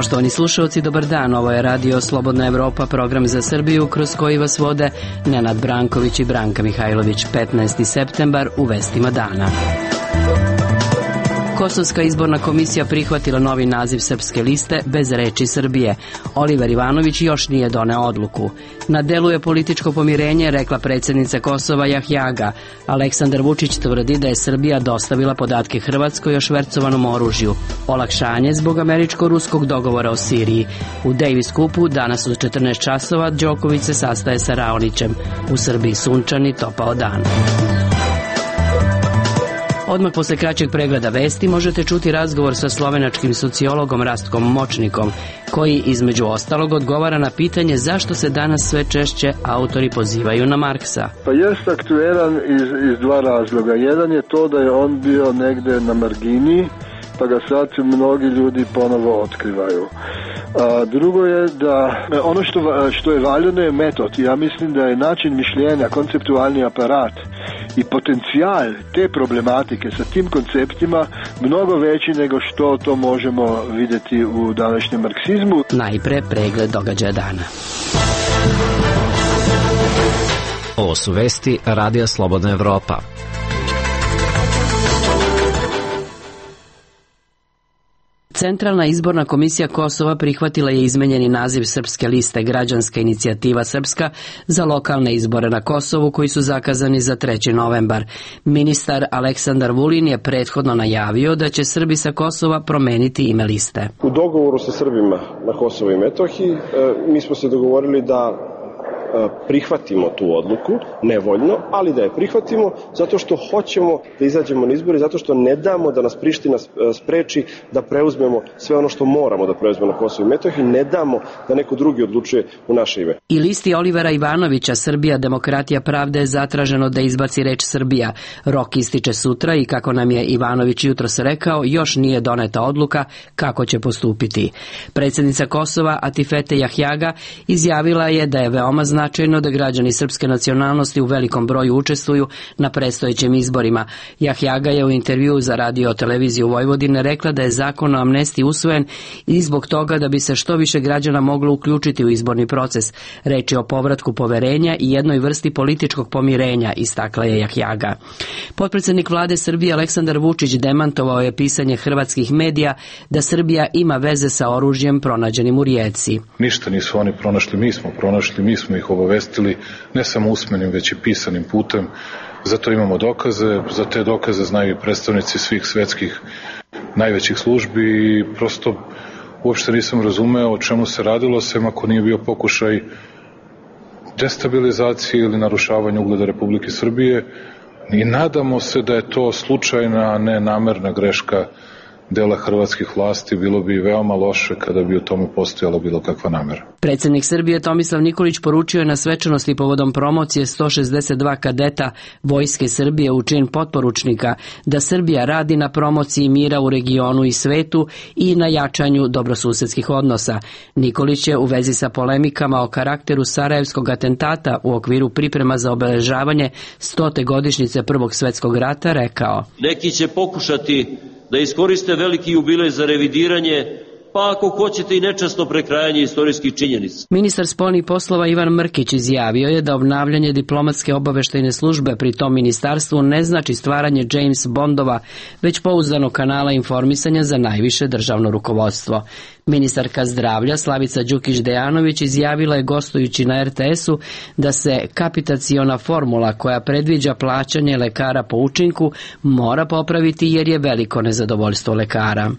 Poštovani slušalci, dobar dan. Ovo je Radio Slobodna Evropa, program za Srbiju kroz koji vas vode Nenad Branković i Branka Mihajlović. 15. septembar u vestima dana. Kosovska izborna komisija prihvatila novi naziv Srpske liste bez reči Srbije. Oliver Ivanović još nije doneo odluku. Na delu je političko pomirenje, rekla predsjednica Kosova Jahjaga. Aleksandar Vučić tvrdi da je Srbija dostavila podatke Hrvatskoj o švercovanom oružju. Olakšanje zbog američko-ruskog dogovora o Siriji. U Davis Cupu danas u 14 časova Đoković se sastaje sa Raonićem. U Srbiji sunčani topao dan. Odmah posle kraćeg pregleda vesti možete čuti razgovor sa slovenačkim sociologom Rastkom Močnikom, koji između ostalog odgovara na pitanje zašto se danas sve češće autori pozivaju na Marksa. Pa jest aktuelan iz dva razloga. Jedan je to da je on bio negde na margini, pa ga sad mnogi ljudi ponovo otkrivaju. A drugo je da ono što je valjano je metod. Ja mislim da je način mišljenja, konceptualni aparat i potencijal te problematike sa tim konceptima mnogo veći nego što to možemo vidjeti u današnjem marksizmu. Najpre pregled događaja dana. Ovo su vesti Radija Slobodna Evropa. Centralna izborna komisija Kosova prihvatila je izmenjeni naziv Srpske liste Građanska inicijativa Srpska za lokalne izbore na Kosovu koji su zakazani za 3. novembar. Ministar Aleksandar Vulin je prethodno najavio da će Srbi sa Kosova promeniti ime liste. U dogovoru sa Srbima na Kosovu i Metohiji mi smo se dogovorili da prihvatimo tu odluku, nevoljno, ali da je prihvatimo zato što hoćemo da izađemo na izbore, zato što ne damo da nas Priština spreči da preuzmemo sve ono što moramo da preuzmemo na Kosovu i Metohiji, ne damo da neko drugi odlučuje u naše ime. I listi Olivera Ivanovića Srbija, Demokratija, Pravda je zatraženo da izbaci reč Srbija. Rok ističe sutra i kako nam je Ivanović jutros rekao, još nije doneta odluka kako će postupiti. Predsjednica Kosova Atifete Jahjaga izjavila je da je veoma značajno da građani srpske nacionalnosti u velikom broju učestvuju na predstojećim izborima. Jahjaga je u intervjuu za Radio televiziju Vojvodine rekla da je zakon o amnestiji usvojen i zbog toga da bi se što više građana moglo uključiti u izborni proces. Reč je o povratku poverenja i jednoj vrsti političkog pomirenja, istakla je Jahjaga. Potpredsjednik vlade Srbije Aleksandar Vučić demantovao je pisanje hrvatskih medija da Srbija ima veze sa oružjem pronađenim u Rijeci. Ništa nisu oni pronašli, mi smo pronašli, mi smo ih obavestili, ne samo usmenim, već i pisanim putem. Zato imamo dokaze, za te dokaze znaju i predstavnici svih svetskih najvećih službi i prosto uopšte nisam razumeo o čemu se radilo, sem ako nije bio pokušaj destabilizacije ili narušavanja ugleda Republike Srbije i nadamo se da je to slučajna, a ne namerna greška dela hrvatskih vlasti. Bilo bi veoma loše kada bi u tome postojala bilo kakva namera. Predsjednik Srbije Tomislav Nikolić poručio je na svečanosti povodom promocije 162 kadeta Vojske Srbije u čin potporučnika da Srbija radi na promociji mira u regionu i svetu i na jačanju dobrosusedskih odnosa. Nikolić je u vezi sa polemikama o karakteru sarajevskog atentata u okviru priprema za obeležavanje 100. godišnjice Prvog svjetskog rata rekao: Neki će pokušati da iskoriste veliki jubilej za revidiranje, pa ako hoćete i nečasno prekrajanje istorijskih činjenica. Ministar spoljnih poslova Ivan Mrkić izjavio je da obnavljanje diplomatske obaveštajne službe pri tom ministarstvu ne znači stvaranje James Bondova, već pouzdanog kanala informisanja za najviše državno rukovodstvo. Ministarka zdravlja Slavica Đukić-Dejanović izjavila je gostujući na RTS-u da se kapitaciona formula koja predviđa plaćanje lekara po učinku mora popraviti jer je veliko nezadovoljstvo lekara.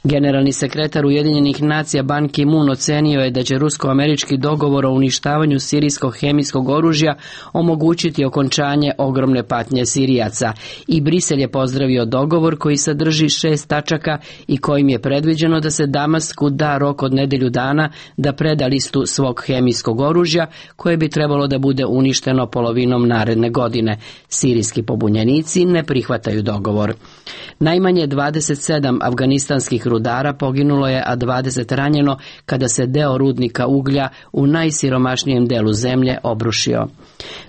Generalni sekretar Ujedinjenih nacija Ban Ki-moon ocenio je da će rusko-američki dogovor o uništavanju sirijskog hemijskog oružja omogućiti okončanje ogromne patnje Sirijaca i Brisel je pozdravio dogovor koji sadrži 6 tačaka i kojim je predviđeno da se Damasku da rok od nedelju dana da preda listu svog hemijskog oružja koje bi trebalo da bude uništeno polovinom naredne godine. Sirijski pobunjenici ne prihvataju dogovor. Najmanje 27 afganistanskih rudara poginulo je, a 20 ranjeno kada se deo rudnika uglja u najsiromašnijem delu zemlje obrušio.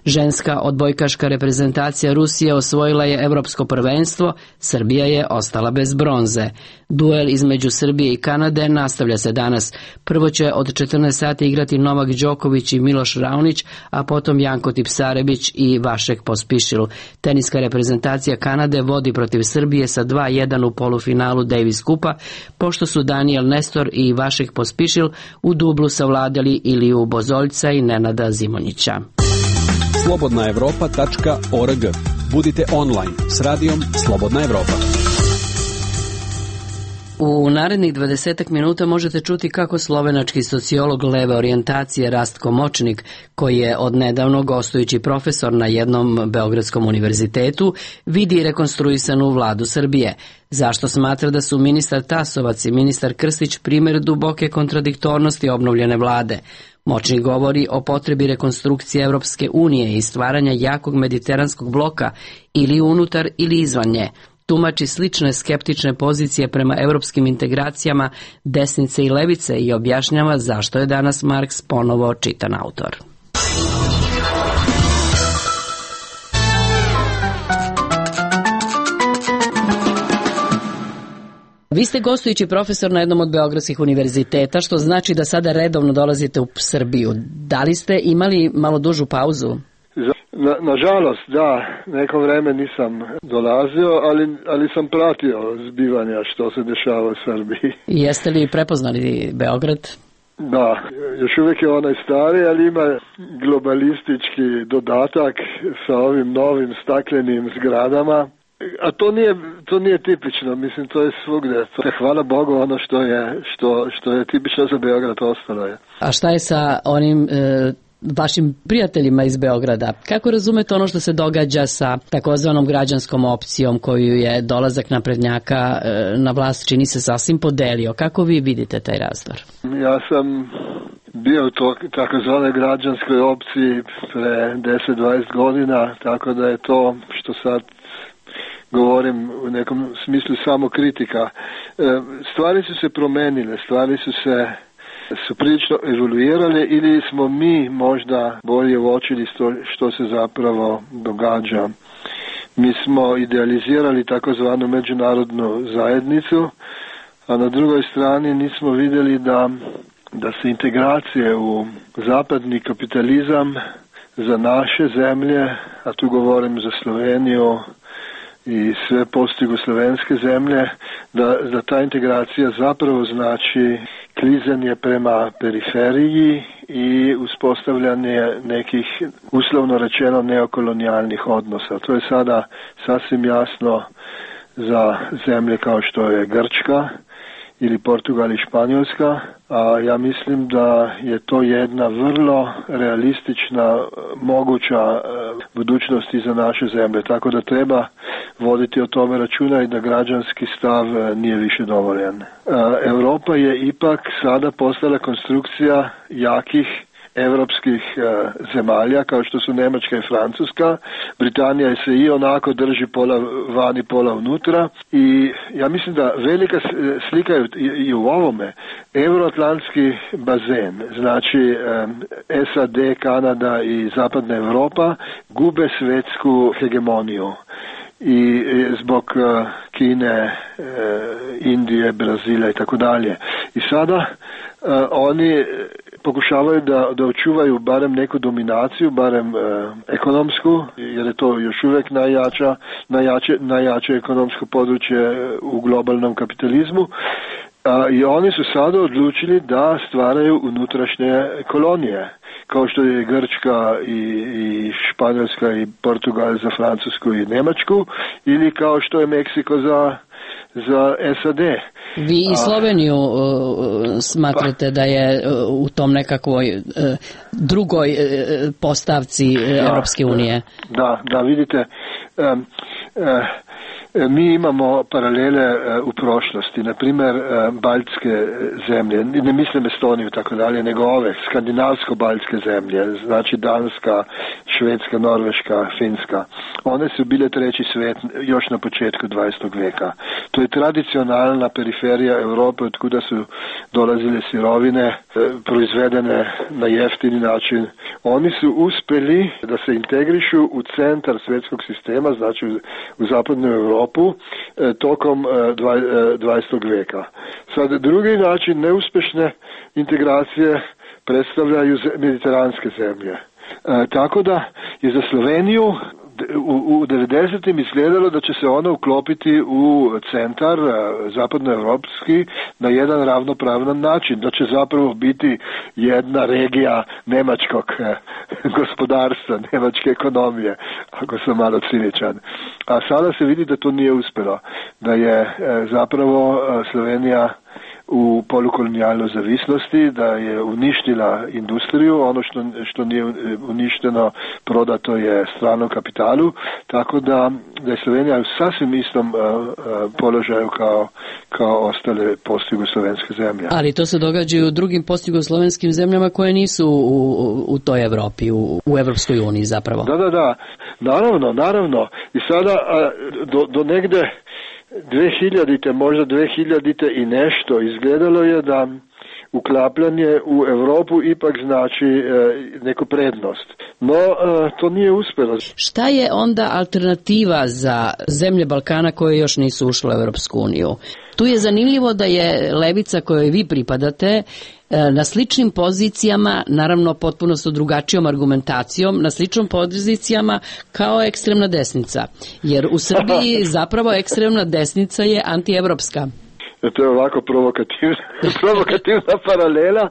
Ženska odbojkaška reprezentacija Rusije osvojila je evropsko prvenstvo, Srbija je ostala bez bronze. Duel između Srbije i Kanade nastavlja se danas. Prvo će od 14 sati igrati Novak Đoković i Miloš Raonić, a potom Janko Tipsarević i Vašek Pospišil. Teniska reprezentacija Kanade vodi protiv Srbije sa 2:1 u polufinalu Davis Kupa, pošto su Daniel Nestor i Vašek Pospišil u dublu savladali Iliju Bozoljca i Nenada Zimonjića. slobodnaevropa.org. Budite online s radijom Slobodna Evropa. U narednih 20 minuta možete čuti kako slovenački sociolog leve orijentacije Rastko Močnik, koji je odnedavno gostujući profesor na jednom beogradskom univerzitetu, vidi rekonstruisanu vladu Srbije. Zašto smatra da su ministar Tasovac i ministar Krstić primjer duboke kontradiktornosti obnovljene vlade? Močnik govori o potrebi rekonstrukcije Evropske unije i stvaranja jakog mediteranskog bloka ili unutar ili izvan nje. Tumači slične skeptične pozicije prema evropskim integracijama desnice i levice i objašnjava zašto je danas Marks ponovo čitan autor. Vi ste gostujući profesor na jednom od beogradskih univerziteta, što znači da sada redovno dolazite u Srbiju. Da li ste imali malo dužu pauzu? Nažalost, da, neko vreme nisam dolazio, ali sam pratio zbivanja što se dešava u Srbiji. Jeste li prepoznali Beograd? Da, još uvijek je onaj stari, ali ima globalistički dodatak sa ovim novim staklenim zgradama. A to nije tipično, mislim, to je svugdje. Hvala Bogu, ono što je tipično za Beograd ostalo je. A šta je sa onim vašim prijateljima iz Beograda? Kako razumete ono što se događa sa takozvanom građanskom opcijom koju je dolazak naprednjaka na vlast, čini se, sasvim podelio? Kako vi vidite taj razdor? Ja sam bio u takozvanoj građanskoj opciji pre 10-20 godina, tako da je to što sad govorim u nekom smislu samo kritika. Stvari su se promenile, stvari su prilično evoluirale ili smo mi možda bolje uočili što se zapravo događa. Mi smo idealizirali takozvanu međunarodnu zajednicu, a na drugoj strani nismo vidjeli da se integracije u zapadni kapitalizam za naše zemlje, a tu govorim za Sloveniju i sve postjugoslovenske zemlje, da ta integracija zapravo znači klizanje prema periferiji i uspostavljanje nekih, uslovno rečeno, neokolonijalnih odnosa. To je sada sasvim jasno za zemlje kao što je Grčka ili Portugal i Španjolska, a ja mislim da je to jedna vrlo realistična, moguća budućnost i za naše zemlje, tako da treba voditi o tome računa i da građanski stav nije više dovoljan. Europa je ipak sada postala konstrukcija jakih evropskih zemalja kao što su Njemačka i Francuska. Britanija se i onako drži pola vani, pola unutra i ja mislim da velika slika je i u ovome. Euroatlantski bazen, znači SAD, Kanada i Zapadna Europa gube svjetsku hegemoniju i zbog Kine, Indije, Brazila i tako dalje. I sada oni pokušavaju da očuvaju barem neku dominaciju, barem ekonomsku, jer je to još uvijek najjače ekonomsko područje u globalnom kapitalizmu. I oni su sada odlučili da stvaraju unutrašnje kolonije, kao što je Grčka i Španjolska i Portugal za Francusku i Njemačku, ili kao što je Meksiko za SAD. Vi i Sloveniju smatrate da je u tom nekakvoj drugoj postavci Europske unije? Da, vidite, mi imamo paralele u prošlosti, na primjer baltske zemlje, ne mislim Estoniju tako dalje, nego ove skandinavsko-baltske zemlje, znači Danska, Švedska, Norveška, Finska. One su bile treći svijet još na početku 20. vijeka. To je tradicionalna periferija Europe od kuda su dolazile sirovine proizvedene na jeftini način. Oni su uspjeli da se integrišu u centar svjetskog sistema, znači u zapadnu Europu, tokom 20. vijeka. Sad, drugi način neuspješne integracije predstavljaju mediteranske zemlje. Tako da je za Sloveniju u 90. izgledalo da će se ona uklopiti u centar zapadnoevropski na jedan ravnopravan način, da će zapravo biti jedna regija njemačkog gospodarstva, njemačke ekonomije, ako sam malo ciničan. A sada se vidi da to nije uspjelo, da je zapravo Slovenija u polukolonijalnoj zavisnosti, da je uništila industriju, ono što nije uništeno prodato je stranom kapitalu, tako da je Slovenija u sasvim istom položaju kao ostale postjugoslovenske zemlje. Ali to se događa i u drugim postjugoslovenskim zemljama koje nisu u toj Evropi, u Evropskoj uniji zapravo. Da. Naravno. I sada do negde 2000. možda 2000. i nešto izgledalo je da uklapljanje u Europu ipak znači neku prednost. No, to nije uspjelo. Šta je onda alternativa za zemlje Balkana koje još nisu ušle u Europsku uniju? Tu je zanimljivo da je levica kojoj vi pripadate na sličnim pozicijama, naravno potpuno sa drugačijom argumentacijom, na sličnim pozicijama kao ekstremna desnica. Jer u Srbiji zapravo ekstremna desnica je antievropska. To je ovako provokativna paralela.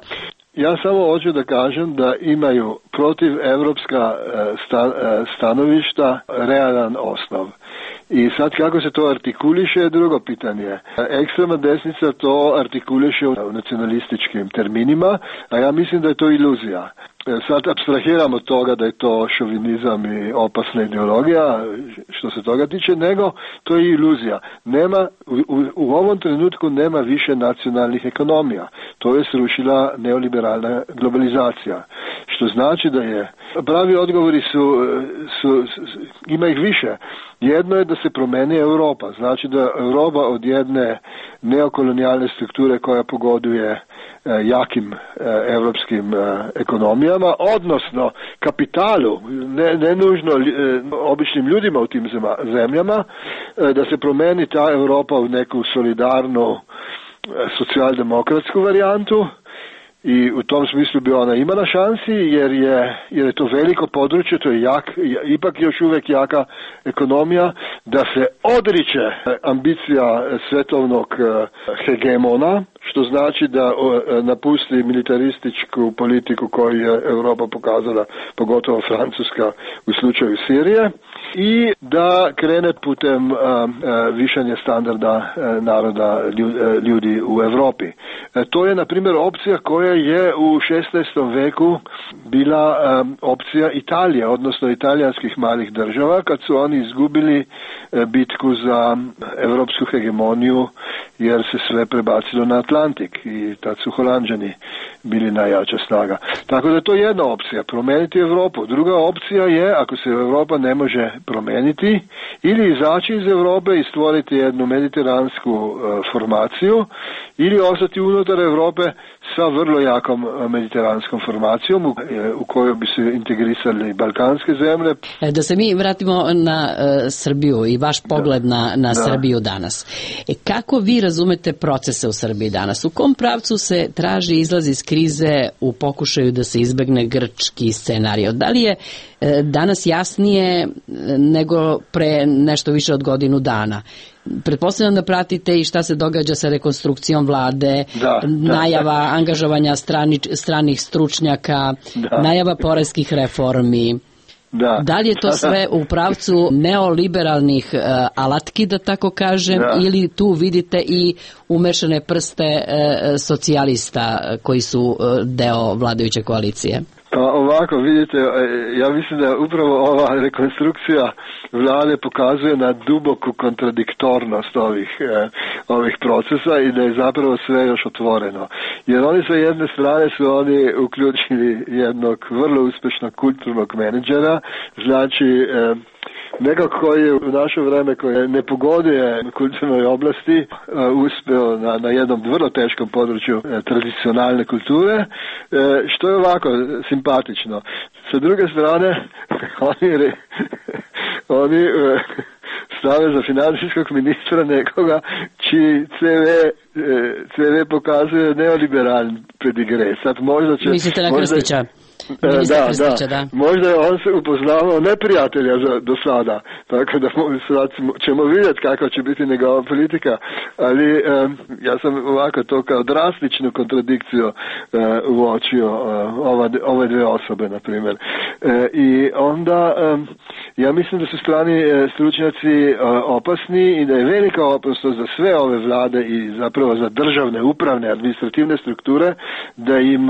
Ja samo hoću da kažem da imaju protiv evropska stanovišta realan osnov. I sad kako se to artikuliše je drugo pitanje. Ekstremna desnica to artikuliše u nacionalističkim terminima, a ja mislim da je to iluzija. Sad apstrahiramo od toga da je to šovinizam i opasna ideologija što se toga tiče, nego to je iluzija. U ovom trenutku nema više nacionalnih ekonomija. To je srušila neoliberalna globalizacija. Što znači da je pravi odgovori ima ih više. Jedno je da se promeni Europa. Znači da Europa od jedne neokolonijalne strukture koja pogoduje jakim evropskim ekonomijama, odnosno kapitalu, ne nužno običnim ljudima u tim zemljama, da se promeni ta Europa u neku solidarnu socijaldemokratsku varijantu. I u tom smislu bi ona imala šansi jer je to veliko područje, to je ipak još uvijek jaka ekonomija, da se odriče ambicija svetovnog hegemona, što znači da napusti militarističku politiku koju je Europa pokazala, pogotovo Francuska u slučaju Sirije, i da krene putem višanja standarda naroda ljudi u Europi. To je, na primjer, opcija koja je u 16. veku bila opcija Italije, odnosno italijanskih malih država, kad su oni izgubili bitku za evropsku hegemoniju, jer se sve prebacilo na Atlantik i tad su Holanđani bili najjača snaga. Tako da je to jedna opcija, promijeniti Europu. Druga opcija je, ako se Europa ne može promijeniti, ili izaći iz Europe i stvoriti jednu mediteransku formaciju, ili ostati unutar Europe sa vrlo jakom mediteranskom formacijom u kojoj bi se integrisali balkanske zemlje. Da se mi vratimo na Srbiju i vaš pogled na Srbiju danas. Kako vi razumete procese u Srbiji danas? U kom pravcu se traži izlaz iz krize u pokušaju da se izbegne grčki scenario? Da li je danas jasnije nego pre nešto više od godinu dana? Pretpostavljam da pratite i šta se događa sa rekonstrukcijom vlade, najava angažovanja stranih stručnjaka, najava poreskih reformi. Da li je to sve u pravcu neoliberalnih alatki, da tako kažem, ili tu vidite i umešane prste socijalista koji su deo vladajuće koalicije? Pa ovako, vidite, ja mislim da upravo ova rekonstrukcija vlade pokazuje na duboku kontradiktornost ovih procesa i da je zapravo sve još otvoreno. Jer oni sa jedne strane su oni uključili jednog vrlo uspješnog kulturnog menadžera, znači nekako koji je u naše vreme koji ne pogoduje kulturnoj oblasti uspeo na jednom vrlo teškom području tradicionalne kulture, što je ovako simpatično. Sa druge strane, oni stave za financijskog ministra nekoga čiji CV pokazuje neoliberalni pedigre. Sad možda će... Mislite na Krstića? Da. Možda je on se upoznavao neprijatelja do sada, tako da sad ćemo vidjeti kakva će biti njegova politika, ali ja sam ovako to kao drastičnu kontradikciju uočio ove dve osobe, na primjer. I onda ja mislim da su strani stručnjaci opasni i da je velika opasnost za sve ove vlade i zapravo za državne, upravne, administrativne strukture da im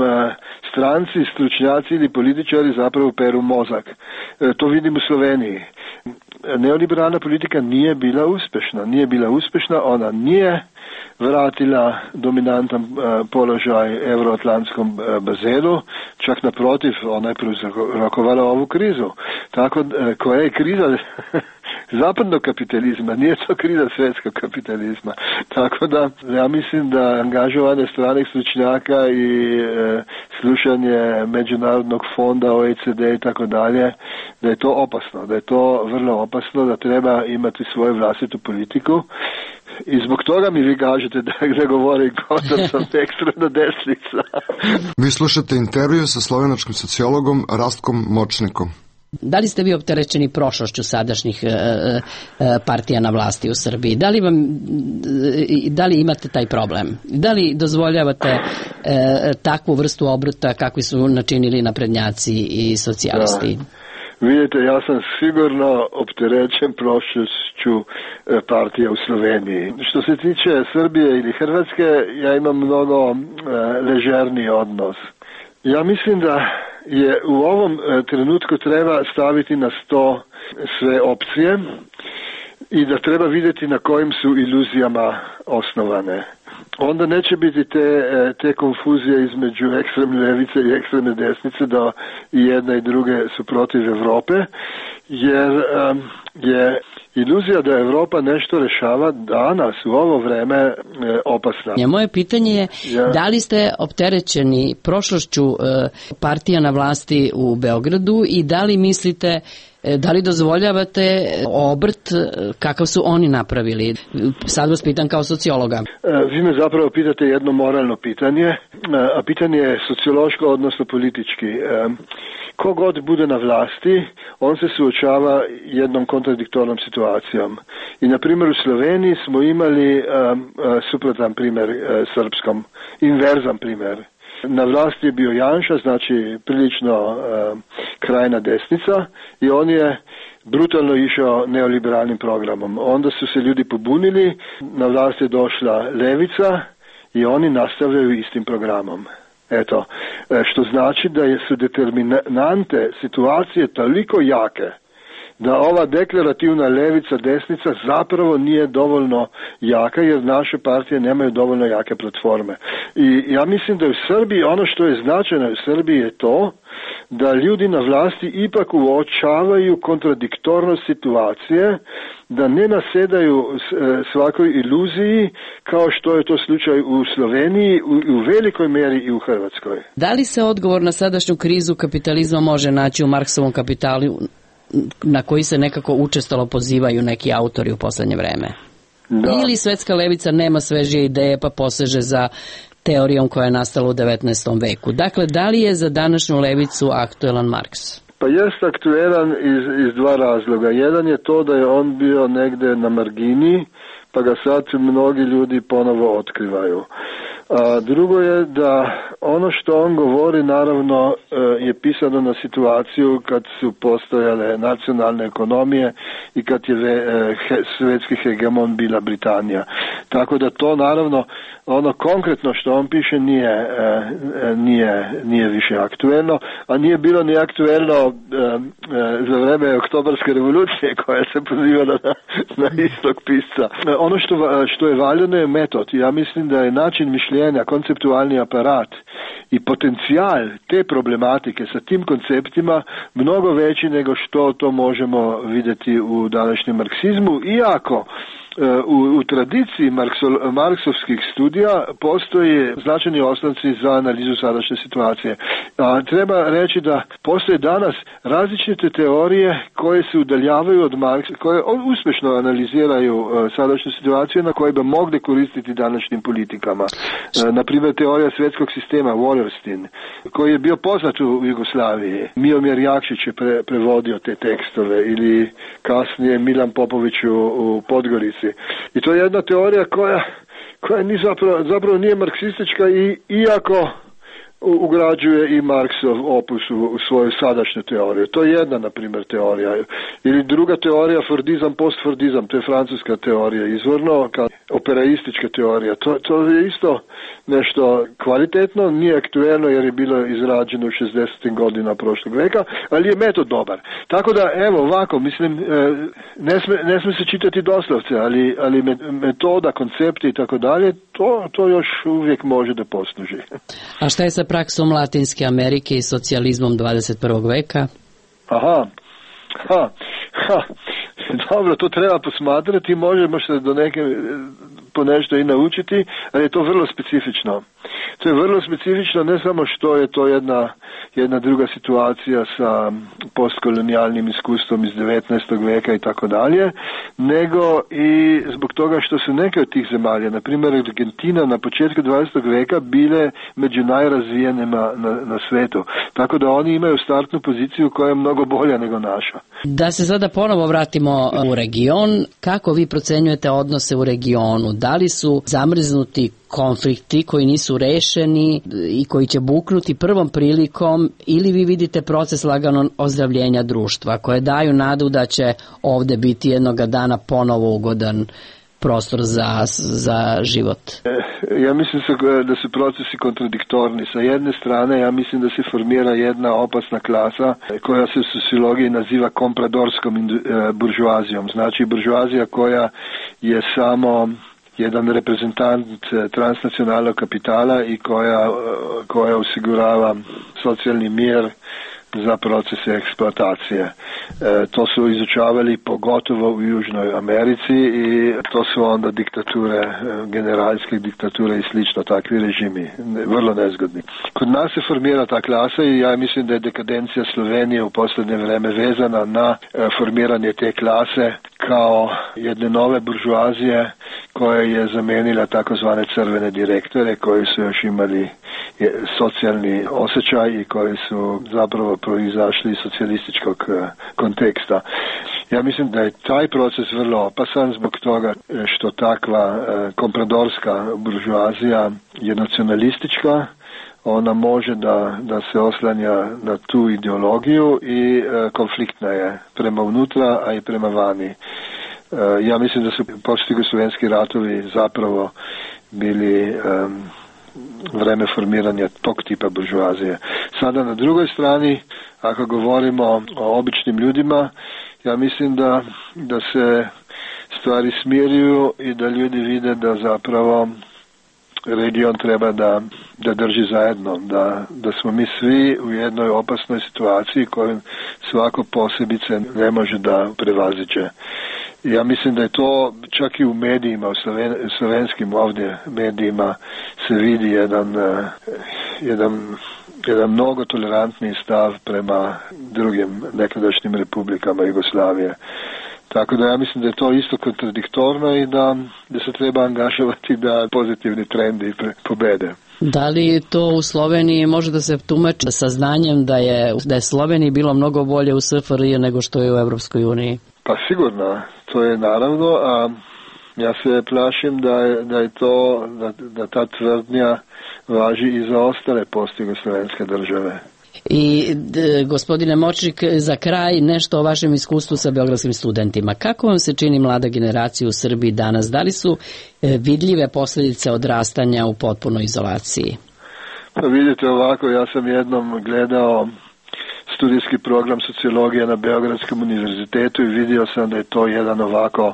stranci, stručnjaci ili političari zapravo peru mozak. To vidim u Sloveniji. Neoliberalna politika nije bila uspješna, ona nije vratila dominantan položaj euroatlantskom bazenu, čak naprotiv, ona je prouzrokovala ovu krizu. Tako koja je kriza zapadnog kapitalizma, nije to kriza svjetskog kapitalizma. Tako da ja mislim da angažovanje stranih stručnjaka i slušanje Međunarodnog fonda, OECD i tako dalje, da je to opasno, da je to vrlo opasno, da treba imati svoju vlastitu politiku. I zbog toga mi vi kažete da govori kao da sam ekstremna desnica. Vi slušate intervju sa slovenačkim sociologom Rastkom Močnikom. Da li ste vi opterećeni prošlošću sadašnjih partija na vlasti u Srbiji? Da li imate taj problem? Da li dozvoljavate takvu vrstu obrta kakvi su načinili naprednjaci i socijalisti? Da. Vidite, ja sam sigurno opterećen prošlošću partija u Sloveniji. Što se tiče Srbije ili Hrvatske, ja imam mnogo ležerniji odnos. Ja mislim da je u ovom trenutku treba staviti na sto sve opcije i da treba vidjeti na kojim su iluzijama osnovane. Onda neće biti te konfuzije između ekstremne ljevice i ekstremne desnice da i jedna i druge su protiv Europe, jer je iluzija da Europa nešto rešava danas u ovo vreme opasna. Moje pitanje je da li ste opterećeni prošlošću partija na vlasti u Beogradu i da li mislite, da li dozvoljavate obrt kakav su oni napravili? Sad vas pitam kao sociologa. Vi me zapravo pitate jedno moralno pitanje, a pitanje je sociološko, odnosno politički. Kogod bude na vlasti, on se suočava jednom kontradiktornom situacijom. I na primjer u Sloveniji smo imali suprotan primjer srpskom, inverzan primjer. Na vlasti je bio Janša, znači prilično krajna desnica i on je brutalno išao neoliberalnim programom. Onda su se ljudi pobunili, na vlast je došla levica i oni nastavljaju istim programom. Eto, što znači da su determinante situacije toliko jake da ova deklarativna levica, desnica zapravo nije dovoljno jaka jer naše partije nemaju dovoljno jake platforme. I ja mislim da u Srbiji, ono što je značajno u Srbiji je to da ljudi na vlasti ipak uočavaju kontradiktornost situacije, da ne nasedaju svakoj iluziji kao što je to slučaj u Sloveniji, u velikoj mjeri i u Hrvatskoj. Da li se odgovor na sadašnju krizu kapitalizma može naći u Marksovom kapitalu, na koji se nekako učestalo pozivaju neki autori u poslednje vreme? Da. Ili svetska levica nema svežije ideje pa poseže za teorijom koja je nastala u 19. veku. Dakle, da li je za današnju levicu aktuelan Marks? Pa jest aktuelan iz dva razloga. Jedan je to da je on bio negde na margini, pa ga sad mnogi ljudi ponovo otkrivaju. A drugo je da ono što on govori naravno je pisano na situaciju kad su postojale nacionalne ekonomije i kad je svetski hegemon bila Britanija. Tako da to naravno ono konkretno što on piše nije više aktuelno, a nije bilo ni aktuelno za vreme Oktobarske revolucije koja se pozivala na istog pisca. Ono što je valjano je metod. Ja mislim da je način mišljenja, konceptualni aparat i potencijal te problematike sa tim konceptima mnogo veći nego što to možemo vidjeti u današnjem marksizmu, iako u tradiciji marksovskih studija postoje značajni osnovci za analizu sadašnje situacije. Treba reći da postoje danas različite teorije koje se udaljavaju od Marksa, koje uspješno analiziraju sadašnju situaciju na koje bi mogli koristiti današnjim politikama. Naprimjer, teorija svjetskog sistema Wallerstein, koji je bio poznat u Jugoslaviji. Miomir Jakšić je prevodio te tekstove, ili kasnije Milan Popović u Podgorici. I to je jedna teorija koja ni zapravo nije marksistička, iako ugrađuje i Marksov opus u svoju sadašnju teoriju. To je jedna, na primjer, teorija. Ili druga teorija, Fordizam, postfordizam, to je francuska teorija izvorno, kao operaistička teorija. To je isto nešto kvalitetno, nije aktuelno jer je bilo izrađeno u 60. godina prošlog veka, ali je metod dobar. Tako da, evo, ovako, mislim, ne sme se čitati doslovce, ali metoda, koncepti i tako dalje, to još uvijek može da posluži. A šta je sa praksom Latinske Amerike i socijalizmom 21. veka? Dobro, to treba posmatrati, možemo se po nešto i naučiti, ali je to vrlo specifično. To je vrlo specifično ne samo što je to jedna druga situacija sa postkolonijalnim iskustvom iz 19. veka i tako dalje, nego i zbog toga što su neke od tih zemalja, na primjer Argentina na početku 20. veka, bile među najrazvijenima na svetu. Tako da oni imaju startnu poziciju koja je mnogo bolja nego naša. Da se sada ponovo vratimo u region, kako vi procenjujete odnose u regionu? Da li su zamrznuti konflikti koji nisu rešeni i koji će buknuti prvom prilikom, ili vi vidite proces laganog ozdravljenja društva koje daju nadu da će ovde biti jednoga dana ponovo ugodan prostor za život? Ja mislim da su procesi kontradiktorni. Sa jedne strane, ja mislim da se formira jedna opasna klasa koja se u sociologiji naziva kompradorskom buržuazijom. Znači buržuazija koja je samo jedan reprezentant transnacionalnog kapitala i koja osigurava socijalni mir za procese eksploatacije. To su izučavali pogotovo u Južnoj Americi i to su onda diktature, generalske diktature i slično, takvi režimi, vrlo nezgodni. Kod nas se formira ta klasa i ja mislim da je dekadencija Slovenije u posljednje vreme vezana na formiranje te klase kao jedne nove buržuazije koja je zamenila takozvane crvene direktore koji su još imali socijalni osjećaj i koji su zapravo proizašli iz socijalističkog konteksta. Ja mislim da je taj proces vrlo opasan zbog toga što takva kompradorska buržuazija je nacionalistička, ona može da se oslanja na tu ideologiju i konfliktna je prema unutra, a i prema vani. Ja mislim da su postjugoslovenski ratovi zapravo bili vreme formiranja tog tipa buržuazije. Sada na drugoj strani, ako govorimo o običnim ljudima, ja mislim da se stvari smiruju i da ljudi vide da zapravo region treba da drži zajedno, da smo mi svi u jednoj opasnoj situaciji koju svako posebice ne može da prevaziđe. Ja mislim da je to čak i u medijima, u slovenskim ovdje medijima se vidi jedan mnogo tolerantniji stav prema drugim nekadašnjim republikama Jugoslavije. Tako da ja mislim da je to isto kontradiktorno i da se treba angažovati da pozitivni trendi pobede. Da li to u Sloveniji može da se tumači sa znanjem da je Sloveniji bilo mnogo bolje u SFRJ nego što je u Evropskoj uniji? Pa sigurno, to je naravno, a Ja se plašim da je to, da ta tvrdnja važi i za ostale post-jugoslovenske države. I gospodine Močnik, za kraj nešto o vašem iskustvu sa beogradskim studentima. Kako vam se čini mlada generacija u Srbiji danas? Da li su vidljive posljedice odrastanja u potpunoj izolaciji? Pa vidite ovako, ja sam jednom gledao studijski program sociologije na Beogradskom univerzitetu i vidio sam da je to jedan ovako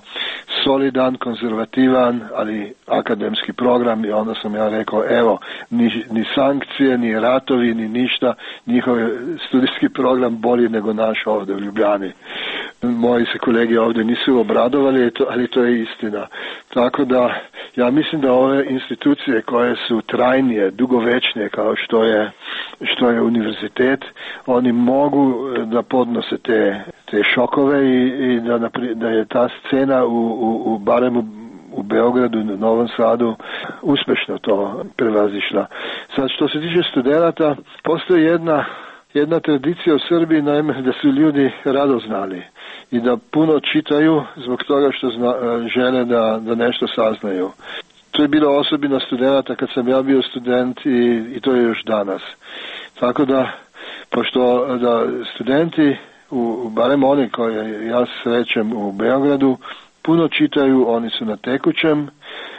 solidan, konzervativan, ali akademski program i onda sam ja rekao, evo, ni sankcije, ni ratovi, ni ništa, njihov studijski program bolji nego naš ovdje u Ljubljani. Moji se kolege ovdje nisu obradovali, ali to je istina. Tako da, ja mislim da ove institucije koje su trajnije, dugovečnije kao što je univerzitet, oni mogu da podnose te šokove i da je ta scena barem u Beogradu i Novom Sadu uspešno to prevazišla. Sad što se tiče studenata, postoji jedna tradicija u Srbiji, naime da su ljudi radoznali i da puno čitaju zbog toga što žele da nešto saznaju. To je bilo osobina studenata kad sam ja bio student i to je još danas. Tako da, pošto da studenti, barem oni koje ja srećem u Beogradu, puno čitaju, oni su na tekućem,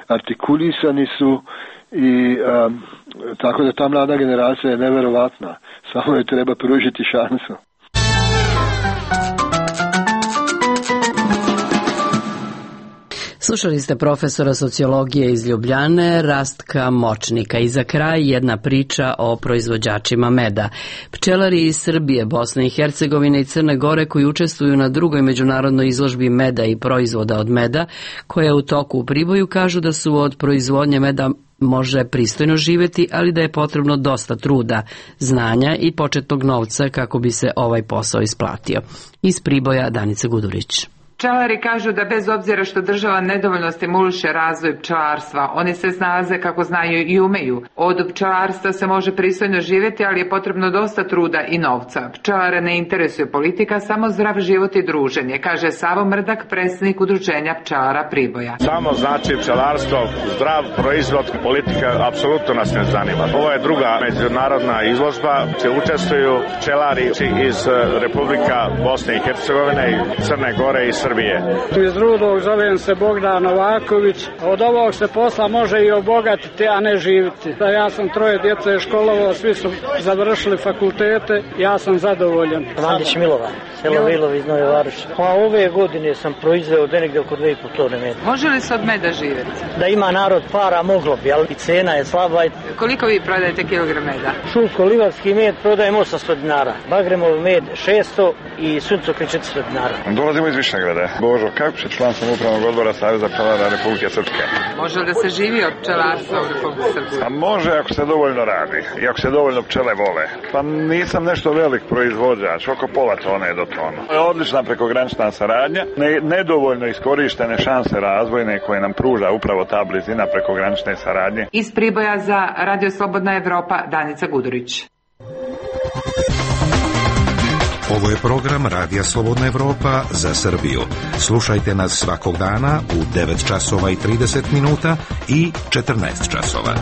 artikulisani su i tako da ta mlada generacija je neverovatna. Samo je treba pružiti šansu. Slušali ste profesora sociologije iz Ljubljane, Rastka Močnika. I za kraj jedna priča o proizvođačima meda. Pčelari iz Srbije, Bosne i Hercegovine i Crne Gore koji učestvuju na drugoj međunarodnoj izložbi meda i proizvoda od meda, koja je u toku u Priboju, kažu da su od proizvodnje meda može pristojno živjeti, ali da je potrebno dosta truda, znanja i početnog novca kako bi se ovaj posao isplatio. Iz Priboja Danica Gudurić. Pčelari kažu da bez obzira što država nedovoljno stimuliše razvoj pčelarstva, oni se snalaze kako znaju i umeju. Od pčelarstva se može pristojno živjeti, ali je potrebno dosta truda i novca. Pčelare ne interesuje politika, samo zdrav život i druženje, kaže Savo Mrdak, predsjednik udruženja pčelara Priboja. Samo znači pčelarstvo, zdrav proizvod, politika apsolutno nas ne zanima. Ovo je druga međunarodna izložba, gdje učestvuju pčelari iz Republika Bosne i Hercegovine i Crne Gore i Srbije. Iz Rudog zovem se Bogdan Novaković. Od ovog se posla može i obogatiti, a ne živiti. Ja sam 3 djece školovao, svi su završili fakultete, ja sam zadovoljan. Mandić Milovan, selo Vilov iz Nove Varoši. Pa ove godine sam proizveo negdje oko 2,5 tone meda. Može li se od meda živjeti? Da ima narod para, moglo bi, ali cena je slaba. Koliko vi prodajete kilogram meda? Šulko-livarski med prodajem 800 dinara, Bagremov med 600 i suncokret 400 dinara. Dolazimo iz Višnjegrada. Božo Kapić, član sam upravnog odbora Saveza pčelara Republike Srpske. Može li da se živi od pčelarstva u Republike Srpske? A može ako se dovoljno radi i ako se dovoljno pčele vole. Pa nisam nešto velik proizvođač, oko pola tone do tona. Odlična prekogranična saradnja, nedovoljno iskorištene šanse razvojne koje nam pruža upravo ta blizina prekogranične saradnje. Iz Priboja za Radio Slobodna Evropa, Danica Gudurić. Ovo je program Radija Slobodna Evropa za Srbiju. Slušajte nas svakog dana u 9 časova i 30 minuta i 14 časova.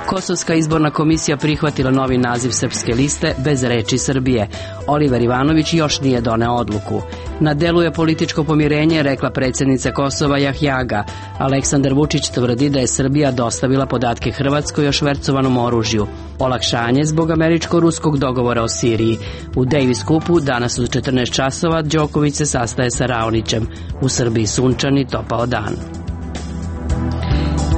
Kosovska izborna komisija prihvatila novi naziv Srpske liste bez reči Srbije. Oliver Ivanović još nije doneo odluku. Na delu je političko pomirenje, rekla predsjednica Kosova Jahjaga. Aleksandar Vučić tvrdi da je Srbija dostavila podatke Hrvatskoj o švercovanom oružju. Olakšanje zbog američko-ruskog dogovora o Siriji. U Davis Cupu danas u 14 časova Đoković se sastaje sa Raonićem. U Srbiji sunčan i topao dan.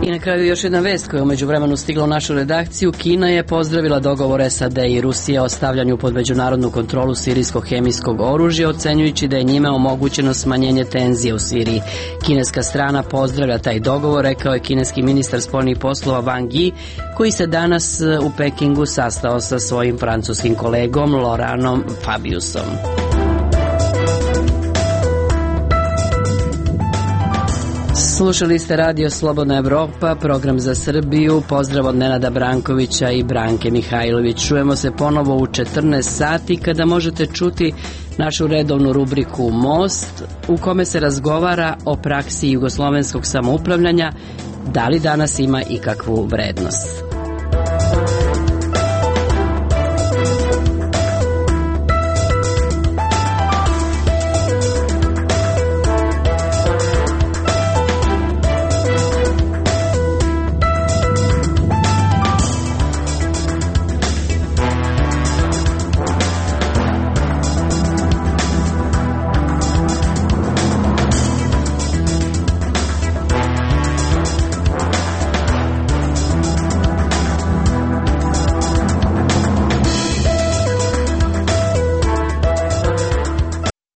I na kraju još jedna vest koja je u međuvremenu stigla u našu redakciju. Kina je pozdravila dogovor SAD i Rusije o stavljanju pod međunarodnu kontrolu sirijskog hemijskog oružja, ocenjujući da je njime omogućeno smanjenje tenzije u Siriji. Kineska strana pozdravlja taj dogovor, rekao je kineski ministar spoljnih poslova Wang Yi, koji se danas u Pekingu sastao sa svojim francuskim kolegom Laurentom Fabiusom. Slušali ste Radio Slobodna Evropa, program za Srbiju. Pozdrav od Nenada Brankovića i Branke Mihajlović. Čujemo se ponovo u 14 sati kada možete čuti našu redovnu rubriku Most, u kome se razgovara o praksi jugoslovenskog samoupravljanja, da li danas ima ikakvu vrednost.